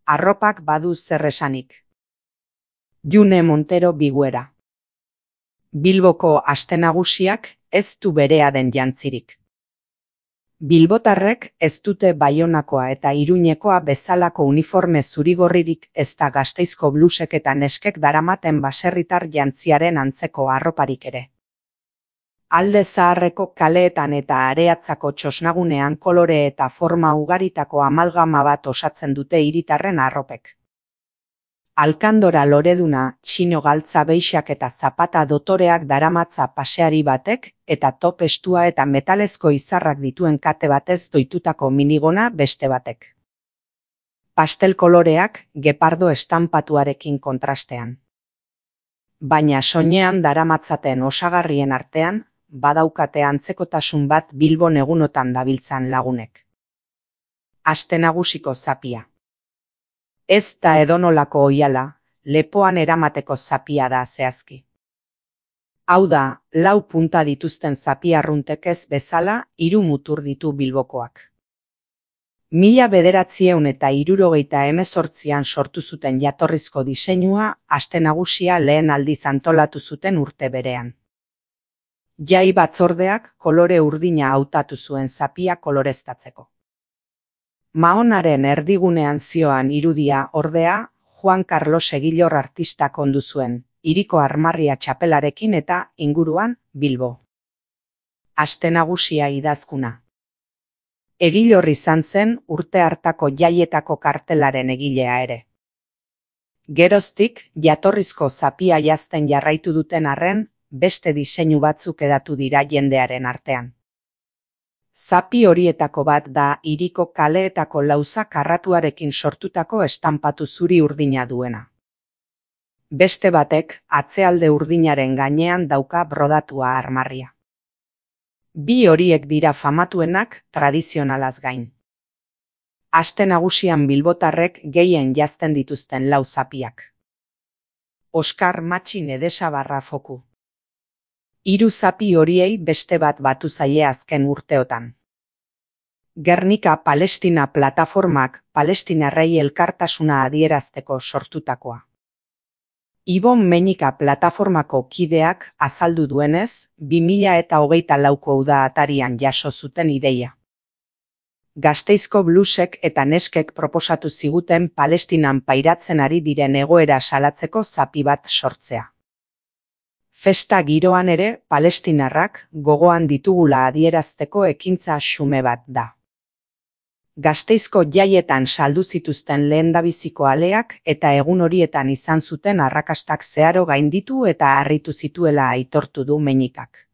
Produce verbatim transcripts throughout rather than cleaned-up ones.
Arropak badu zer esanik. June Montero Biguera. Bilboko aste nagusiak ez du berea den jantzirik. Bilbotarrek ez dute Baionakoa eta Iruñekoa bezalako uniforme zurigorririk ezta Gasteizko blusek eta neskek daramaten baserritar jantziaren antzeko arroparik ere. Alde Zaharreko kaleetan eta Areatzako txosnagunean kolore eta forma ugaritako amalgama bat osatzen dute hiritarren arropek. Alkandora loreduna, txino galtza beixak eta zapata dotoreak daramatza paseari batek eta top estua eta metalezko izarrak dituen kate batez doitutako minigona beste batek. Pastel koloreak gepardo estanpatuarekin kontrastean. Baina soinean daramatzaten osagarrien artean, badaukate antzekotasun bat Bilbon egunotan dabiltzan lagunek. Aste nagusiko zapia. Ez da edonolako oihala, lepoan eramateko zapia da zehazki. Hau da, lau punta dituzten zapia arruntek ez bezala, hiru mutur ditu Bilbokoak. Mila bederatzieun eta hirurogeita hemezortzian sortu zuten jatorrizko diseinua, aste nagusia lehen aldiz antolatu zuten urte berean. Jai batzordeak kolore urdina hautatu zuen zapia koloreztatzeko. Mahonaren erdigunean zioan irudia ordea, Juan Carlos Egilor artistak ondu zuen, hiriko armarria txapelarekin eta inguruan Bilbo. Aste nagusia idazkuna. Egilor izan zen urte hartako jaietako kartelaren egilea ere. Geroztik, jatorrizko zapia jazten jarraitu duten arren, beste diseinu batzuk edatu dira jendearen artean. Zapi horietako bat da hiriko kaleetako lauza karratuarekin sortutako estanpatu zuri urdina duena. Beste batek atzealde urdinaren gainean dauka brodatua armarria. Bi horiek dira famatuenak tradizionalaz gain. Aste nagusian bilbotarrek gehien jazten dituzten lau zapiak. Oskar Matxin Edesabarra foku. Hiru zapi horiei beste bat batu zaie azken urteotan. Gernika Palestina plataformak palestinarrei elkartasuna adierazteko sortutakoa. Ibon Meñika plataformako kideak azaldu duenez, bi mila eta hogeita lauko uda atarian jaso zuten ideia. Gasteizko blusek eta neskek proposatu ziguten Palestinan pairatzen ari diren egoera salatzeko zapi bat sortzea. Festa giroan ere, palestinarrak gogoan ditugula adierazteko ekintza xume bat da. Gasteizko jaietan saldu zituzten lehendabiziko aleak eta egun horietan izan zuten arrakastak zeharo gainditu eta harritu zituela aitortu du Meñikak.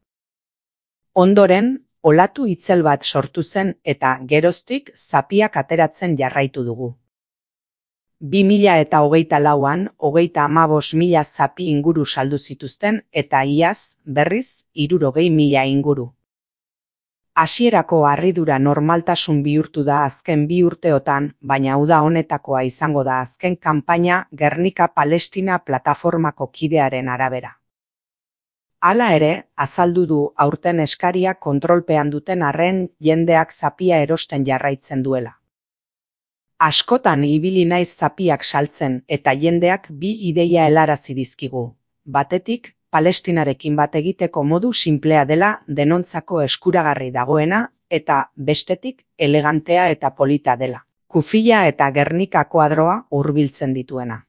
Ondoren, olatu itzel bat sortu zen eta geroztik zapiak ateratzen jarraitu dugu. Bi mila eta hogeita lauan, hogeita hamabos mila zapi inguru saldu zituzten eta iaz, berriz, hirurogei mila inguru. Hasierako harridura normaltasun bihurtu da azken bi urteotan, baina uda honetakoa izango da azken kanpaina Gernika Palestina plataformako kidearen arabera. Hala ere, azaldu du aurten eskaria kontrolpean duten arren jendeak zapia erosten jarraitzen duela. Askotan ibili naiz zapiak saltzen eta jendeak bi ideia helarazi dizkigu. Batetik, Palestinarekin bat egiteko modu sinplea dela denontzako eskuragarri dagoena eta bestetik elegantea eta polita dela. Kufila eta Gernika koadroa hurbiltzen dituena.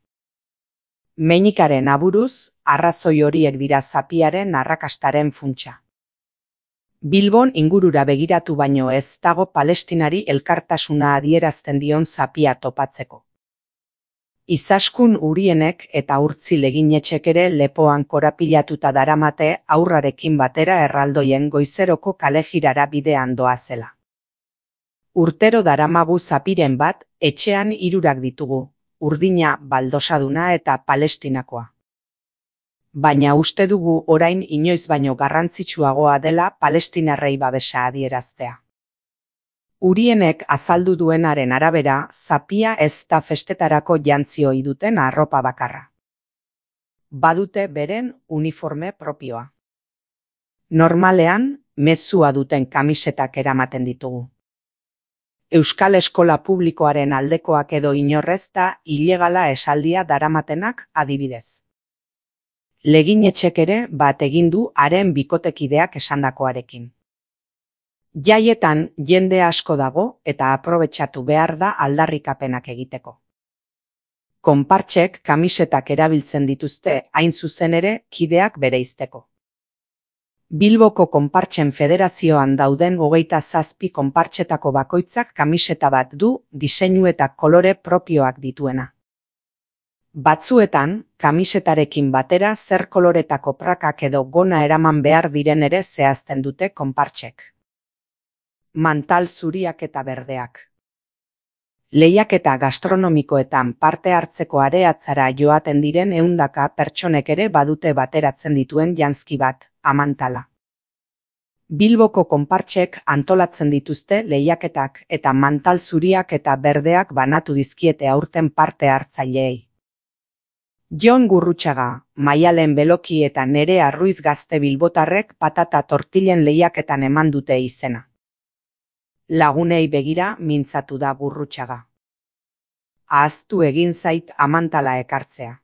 Meñikaren aburuz, arrazoi horiek dira zapiaren arrakastaren funtsa. Bilbon ingurura begiratu baino ez dago Palestinari elkartasuna adierazten dion zapia topatzeko. Izaskun Urienek eta Urtzil Eginetxek ere lepoan korapilatuta daramate aurrarekin batera erraldoien goizeroko kalejirara bidean doazela. Urtero daramagu zapiren bat, etxean hirurak ditugu, urdina baldosaduna eta palestinakoa. Baina uste dugu orain inoiz baino garrantzitsuagoa dela palestinarrei babesa adieraztea. Urienek azaldu duenaren arabera, zapia ez da festetarako jantzi ohi duten arropa bakarra. Badute beren uniforme propioa. Normalean, mezua duten kamisetak eramaten ditugu. Euskal eskola publikoaren aldekoak edo inorrez da ilegala esaldia daramatenak adibidez. Leginetxek ere bat egin du haren bikotekideak esandakoarekin. Jaietan jende asko dago eta aprobetxatu behar da aldarrikapenak egiteko. Konpartsek kamisetak erabiltzen dituzte hain zuzen ere kideak bereizteko. Bilboko Konpartsen Federazioan dauden hogeita zazpi konpartsetako bakoitzak kamiseta bat du diseinu eta kolore propioak dituena. Batzuetan, kamisetarekin batera zer koloretako prakak edo gona eraman behar diren ere zehazten dute konpartsek. Mantal zuriak eta berdeak. Lehiaketa gastronomikoetan parte hartzeko areatzara joaten diren ehundaka pertsonek ere badute bateratzen dituen janzki bat, amantala. Bilboko konpartsek antolatzen dituzte lehiaketak eta mantal zuriak eta berdeak banatu dizkiete aurten parte hartzaileei. Jon Gurrutxaga, Maialen Beloki eta Nerea Ruiz gazte bilbotarrek patata tortillen lehiaketan eman dute izena. Lagunei begira mintzatu da Gurrutxaga. Ahaztu egin zait amantala ekartzea.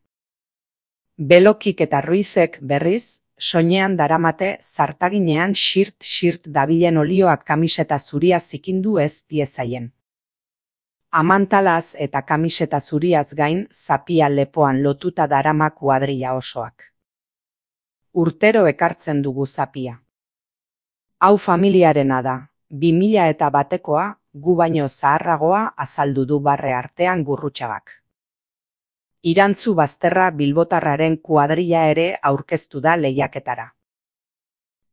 Belokik eta Ruizek berriz, soinean daramate zartaginean xirt-xirt dabilen olioak kamiseta zuria zikindu ez diezaien. Amantalaz eta kamiseta zuriaz gain zapia lepoan lotuta darama kuadrilla osoak. Urtero ekartzen dugu zapia. Hau familiarena da, bi mila eta batekoa, gu baino zaharragoa azaldu du barre artean Gurrutxagak. Irantzu Bazterra bilbotarraren kuadrilla ere aurkeztu da lehiaketara.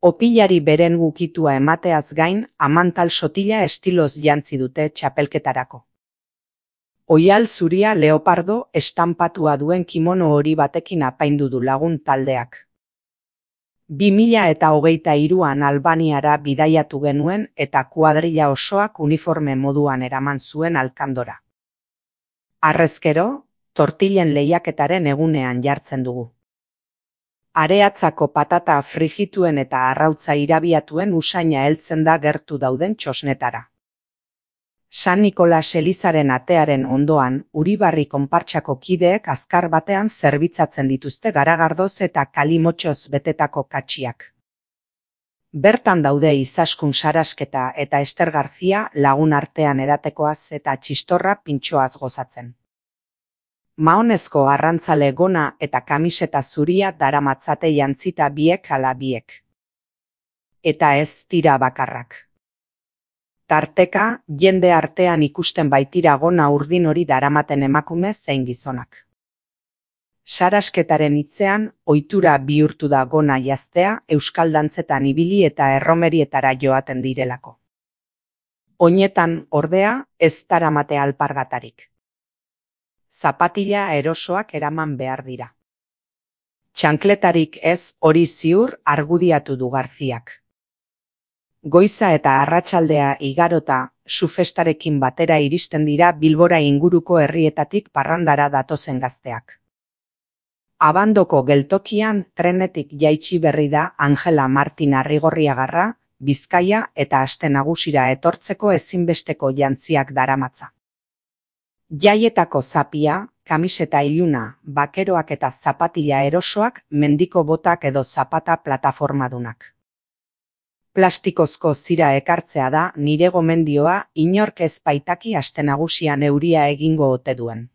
Opilari beren ukitua emateaz gain, amantal sotila estiloz jantzi dute txapelketarako. Oial zuria leopardo estanpatua duen kimono hori batekin apaindu du lagun taldeak. bi mila eta hogeita hiruan Albaniara bidaiatu genuen eta kuadrilla osoak uniforme moduan eraman zuen Alkandora. Harrezkero, tortillen lehiaketaren egunean jartzen dugu. Areatzako patata frigituen eta arrautza irabiatuen usaina heltzen da gertu dauden txosnetara. San Nikolas elizaren atearen ondoan, Uribarri konpartsako kideek azkar batean zerbitzatzen dituzte garagardoz eta kalimotxoz betetako katxiak. Bertan daude Izaskun Sarasketa eta Ester Garzia lagun artean edatekoaz eta txistorra pintxoaz gozatzen. Mahonezko arrantzale gona eta kamiseta zuria daramatzate jantzita biek ala biek. Eta ez tira bakarrak. Tarteka, jende artean ikusten baitira gona urdin hori daramaten emakume zein gizonak. Sarasketaren hitzean, ohitura bihurtu da gona jaztea euskal dantzetan ibili eta erromerietara joaten direlako. Oinetan, ordea, ez daramate alpargatarik. Zapatila erosoak eraman behar dira. Txankletarik ez hori ziur argudiatu du Garziak. Goiza eta arratsaldea igarota, sufestarekin batera iristen dira Bilbora inguruko herrietatik parrandara datozen gazteak. Abandoko geltokian trenetik jaitsi berri da Angela Martin Arrigorriagarra, Bizkaia eta Aste Nagusira etortzeko ezinbesteko jantziak daramatza. Jaietako zapia, kamiseta iluna, bakeroak eta zapatila erosoak, mendiko botak edo zapata plataformadunak. Plastikozko zira ekartzea da nire gomendioa inork ez baitaki Aste Nagusian euria egingo ote duen.